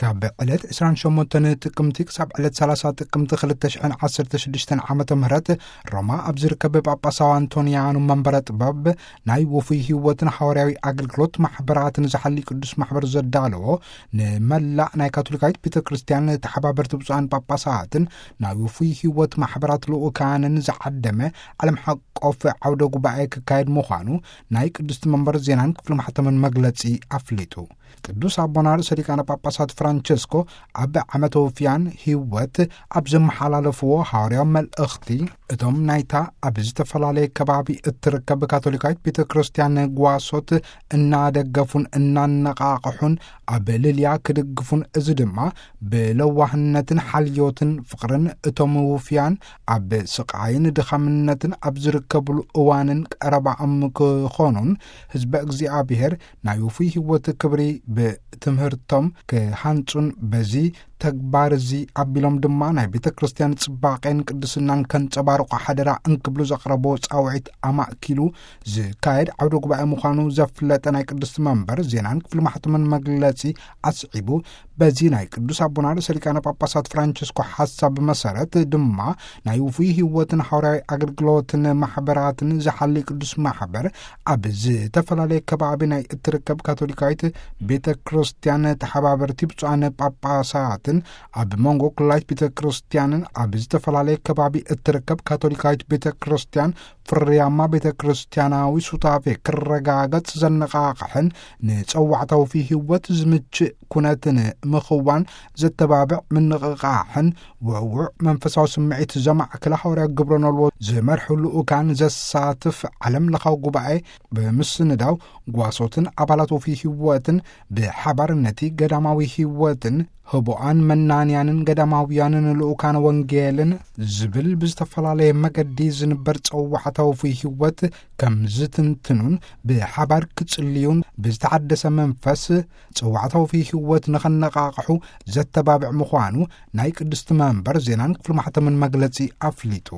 ካብ ዕለት ዕስራን ሸሞንተን ጥቅምቲ ክሳብ ዕለት ሰላሳ ጥቅምቲ ክልተ ሽሕን ዓሰርተ ሽዱሽተን ዓመተ ምህረት ሮማ ኣብ ዝርከብ ጳጳሳዊ ኣንቶንያኑ መንበረ ጥበብ ናይ ውፉይ ህይወትን ሃዋርያዊ ኣገልግሎት ማሕበራትን ዝሓሊ ቅዱስ ማሕበር ዘዳለዎ፣ ንመላእ ናይ ካቶሊካዊት ቤተ ክርስቲያን ተሓባበርቲ ብፁዓን ጳጳሳትን ናይ ውፉይ ህይወት ማሕበራት ልኡካንን ዝዓደመ ዓለም ሓቆፍ ዓውደ ጉባኤ ክካየድ ምዃኑ ናይ ቅድስቲ መንበር ዜናን ክፍሊ ማሕተምን መግለጺ ኣፍሊጡ። ቅዱስ ኣቦና ርእሰ ሊቃነ ጳጳሳት ፍራንቸስኮ ኣብ ዓመተ ውፍያን ህይወት ኣብ ዘመሓላለፍዎ ሃዋርያዊ መልእኽቲ፣ እቶም ናይታ ኣብ ዝተፈላለየ ከባቢ እትርከብ ካቶሊካዊት ቤተ ክርስቲያን ጓሶት እናደገፉን እናነቓቕሑን ኣብ ልልያ ክድግፉን፣ እዚ ድማ ብለዋህነትን ሓልዮትን ፍቕርን እቶም ውፍያን ኣብ ስቓይን ድኻምነትን ኣብ ዝርከብሉ እዋንን ቀረባኦም ክኾኑን፣ ህዝበ እግዚኣብሔር ናይ ውፉይ ህይወት ክብሪ ብትምህርቶም ክሃንጹን፣ በዚ ተግባር እዚ ኣቢሎም ድማ ናይ ቤተ ክርስቲያን ጽባቄን ቅድስናን ከንጸባርቑ ሓደራ እንክብሉ ዘቕረቦ ጻውዒት ኣማእኪሉ ዝካየድ ዓውደ ጉባኤ ምዃኑ ዘፍለጠ ናይ ቅድስቲ መንበር ዜናን ክፍሊ ማሕተምን መግለጺ ኣስዒቡ፣ በዚ ናይ ቅዱስ ኣቦና ርእሰ ሊቃነ ጳጳሳት ፍራንቸስኮ ሓሳብ መሰረት ድማ ናይ ውፉይ ህይወትን ሃዋርያዊ ኣገልግሎትን ማሕበራትን ዝሓሊ ቅዱስ ማሕበር ኣብ ዝተፈላለየ ከባቢ ናይ እትርከብ ካቶሊካዊት ቤተ ክርስቲያን ተሓባበርቲ ብፁዓን ጳጳሳትን ኣብ መንጎ ኩላይት ቤተ ክርስቲያንን ኣብ ዝተፈላለየ ከባቢ እትርከብ ካቶሊካዊት ቤተ ክርስቲያን ፍርያማ ቤተ ክርስቲያናዊ ሱታፌ ክረጋገጽ ዘነቓቕሕን ንጸዋዕታዊ ህይወት ዝምችእ ኩነትን ምኽዋን ዘተባብዕ ምንቕቓሕን ውዕውዕ መንፈሳዊ ስምዒት ዘማዕከለ ሃዋርያ ግብረ ነልዎ ዝመርሑ ልኡካን ዘሳትፍ ዓለም ለኻዊ ጉባኤ ብምስንዳው ጓሶትን ኣባላት ወፍይ ህይወትን ብሓባር ነቲ ገዳማዊ ህይወትን ህቡኣን መናንያንን ገዳማውያንን ልኡካን ወንጌልን ዝብል ብዝተፈላለየ መገዲ ዝንበር ጸዋዕታዊ ህይወት ከም ዝትንትኑን ብሓባር ክጽልዩን ብዝተሓደሰ መንፈስ ጸዋዕታዊ ህይወት ንኸነቓቕሑ ዘተባብዕ ምዃኑ ናይ ቅድስቲ መንበር ዜናን ክፍሊ ማሕተምን መግለጺ ኣፍሊጡ።